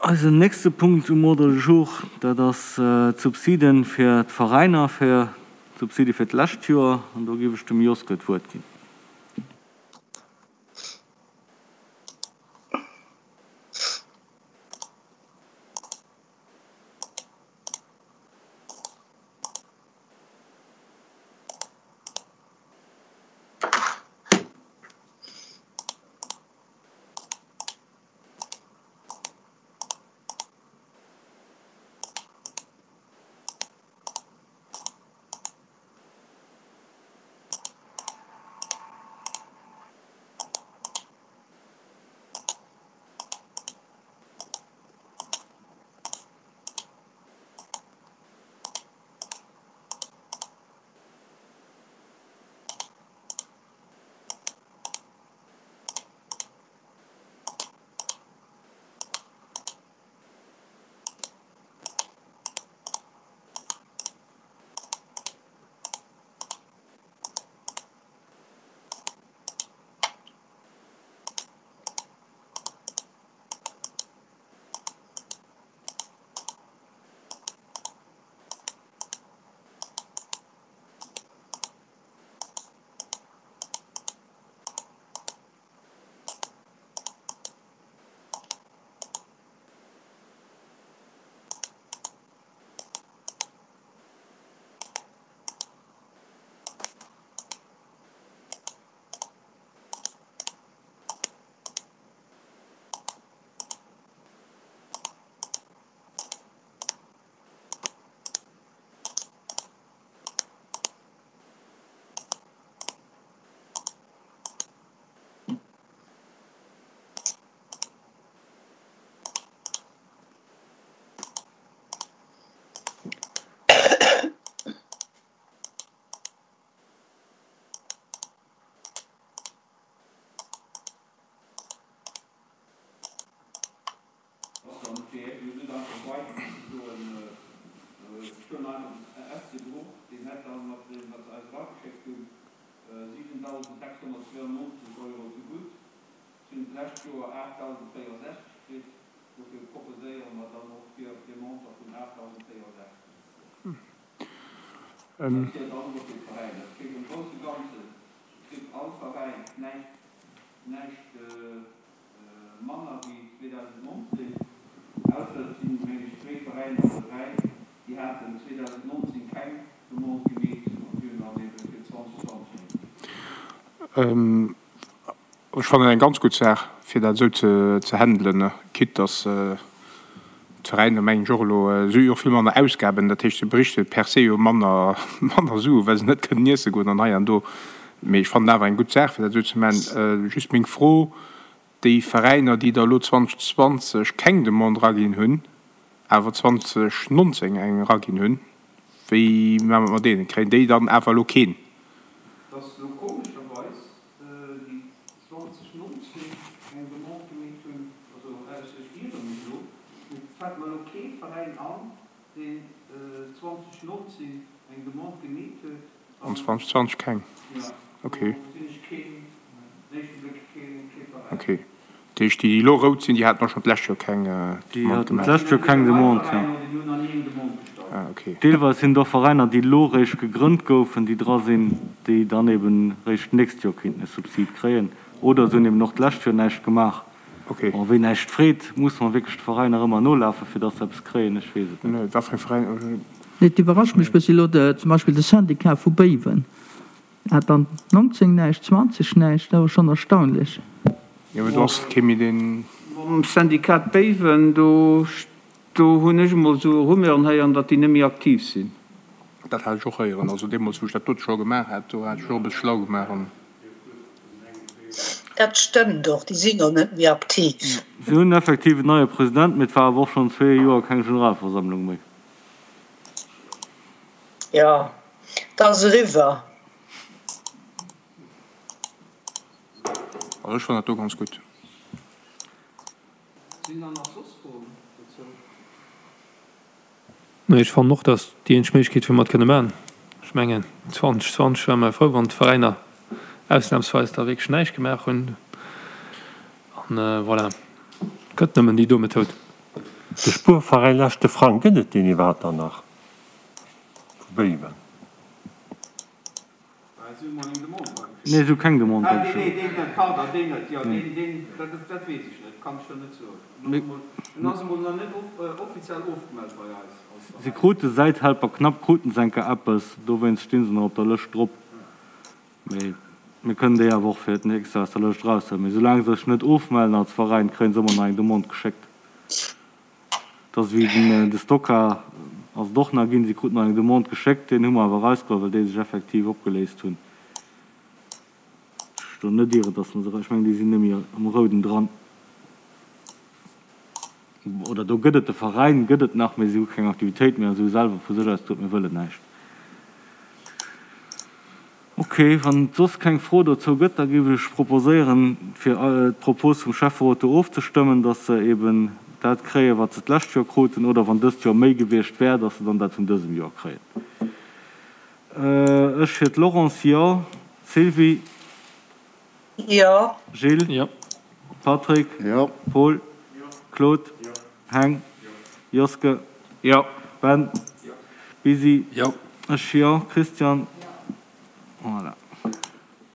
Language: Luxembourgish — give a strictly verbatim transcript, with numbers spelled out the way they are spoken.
Eisen nächste Punkt um Ordre du jour, dat ass d'Subsiden fir d'Veräiner, fir d'Subside fir d'lescht Joer. An do géif ech dem Joske d'Wuert ginn. Ech fannen eng ganz gutt Saach, fir dat esou ze handelen, quitte dass d'Veräiner, mengen ech, och elo, si hu jo och vill manner Ausgaben, dat heescht, se berichte per se jo manner manner Sue well se net kënnen iesse goen an hei an do. Mee ech fannen awer eng gutt Saach, fir dat esou ze maachen. Just meng Fro, Déi Veräiner, déi der elo zweitausendzwanzeg keng Demande eraginn hunn, awer zweitausendnonzéng eng eraginn hunn, wéi maache mer et mat deenen? Kréien déi dann awer elo keen? Dass elo komescherweis déi zweitausendnonzéng eng Demande gemeet hunn, also ausser ech iere mech elo, mee et fält mer elo kee Veräin an, deen zweitausendnonzéng eng Demande gemeet huet An zweitausendzwanzeg keng? Jo, Ok. do gesinn ech keen, den éischte Bléck kee Veräin. Ok. Dat heescht, déi, déi elo rout sinn, déi haten och schonn d'lescht Joer keng Déi Demande haten gemaach? d'lescht Joer keng Demande, jo. Déi hunn nach ni eng Demande gestallt. Ah, ok. Deelweis sinn et och Veräiner, déi elo réischt gegrënnt goufen, déi dra sinn, déi dann eben réischt d'nächst Joer kéinten e Subsid kréien. Oder se hunn eben och d'lescht Joer näischt gemaach. Ok. Bon, ween näischt freet, muss mer wierklech d'Veräiner ëmmer nolafen, fir dass se eppes kréien? Ech weess et net. Nee, wat fir eng Veräiner? Nee, et iwwerrascht mech bëssi elo, zum Beispill de Syndicat vu Béiwen hat dann nonzéng näischt, zwanzeg näischt, dat ass schonn erstaunlech. Jo, mee do ass kee méi deen. Mam Syndicat Béiwen, do do hunn ech emol esou Rumeuren héieren, datt déi net méi aktiv sinn. Dat hat ech och héieren. Also deemools, wou ech dat dote scho gemaach hat, do hat ech och e bësse schlau gemaach an. Dat stëmmt och, déi sinn och net méi aktiv. Si hunn effektiv en neie President, mee et war awer och schonn zwee Joer keng Generalversammlung méi. Jo, et ass eriwwer. Also ech fannen dat do ganz gutt. Sinn dann nach soss Froen dozou? Nee, ech fannen och, dass déi eenzeg Méiglechkeet, wou mer et kënne maachen. Ech mengen, zweitausendzwanzeg ware mer frou, wann d'Veräiner ausnahmsweis da wierklech näischt gemaach hunn. An voilà, et gëtt nëmmen déi do Methoud. De Spuerveräin Leschte Frang, gëtt et deen iwwerhaapt dann nach? Vu Béiwen. Nee, si hu keng Demande erageschéckt. Si krute säit Helper Knapp kruten se enker eppes, dowéinst sti se nach op der Lëscht drop. Mee mir kënnen déi awer och fir d'nächst Joer aus der Lëscht eraushuelen. Mee soulaang se sech net ofmellen als Veräin, kréie se ëmmer nach eng Demande geschéckt. Et ass ewéi den de Stocker ass et och nach ginn, si kruten nach eng Demande geschéckt, deen hu mer awer erausgeholl, well déi sech effektiv opgeléist hunn. Ech do net ieren, datt mer se, ech mengen déi sinn net méi am Rouden dran. Oder do gëtt et de Veräin gëtt et nach, mee si hu keng Aktivitéit méi a si hu selwer vu sech aus gesot, mir wëllen näischt. Ok, wann et soss keng Fro dozou gëtt, da géif ech proposéieren, fir d'Propos vum Schäfferot do ofzestëmmen, dass se eben dat kréien, wat se d'lescht Joer kruten, oder wann dëst Joer méi gewiescht wär, dass se dann dat vun dësem Joer kréien. Ech fir d'Laurence, jo. Sylvie? Jo. Gilles? Jo. Patrick? Jo. Paul? Claude? Heng? Joske? Jo. Ben? Bisi? Jo. Ech jo. Christian? Voilà.